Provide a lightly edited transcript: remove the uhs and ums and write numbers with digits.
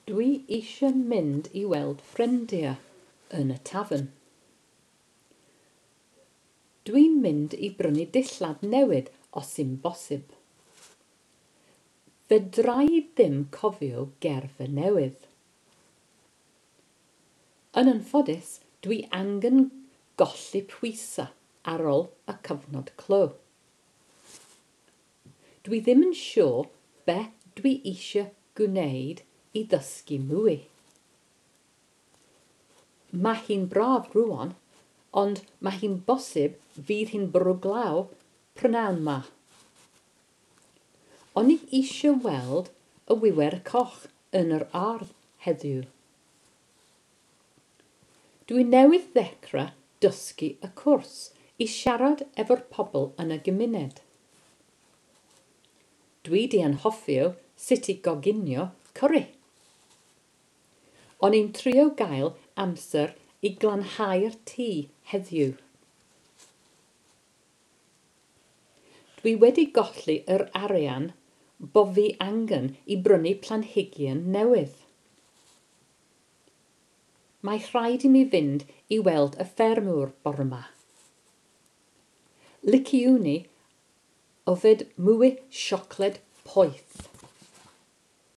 Dwi eisiau mynd i weld ffrindiau yn y tafarn. Dwi'n mynd i brynu dillad newydd os yw'n bosib. Fedra i ddim cofio gerfa newydd. Yn anffodus, dwi angen golli pwysau ar ôl y cyfnod clo. Dwi ddim yn siŵr be dwi eisiau gwneud i ddysgu mwy. Mae hi'n braf rŵan, ond mae hi'n bosib fydd hi'n bwrw glaw prynhawn 'ma. O'n i eisiau weld y wiwer coch yn yr ardd heddiw. Dwi newydd ddechrau dysgu y cwrs i siarad efo'r pobl yn y gymuned. Dwi 'di anghofio sut i goginio cwrri. O'n i'n trio gael amser i glanhau'r tŷ heddiw. Dwi wedi golli yr arian bo fi angen i brynu planhigion newydd. Mae rhaid i mi fynd i weld y ffermwr bore 'ma. Liciwn i yfed mwy siocled poeth.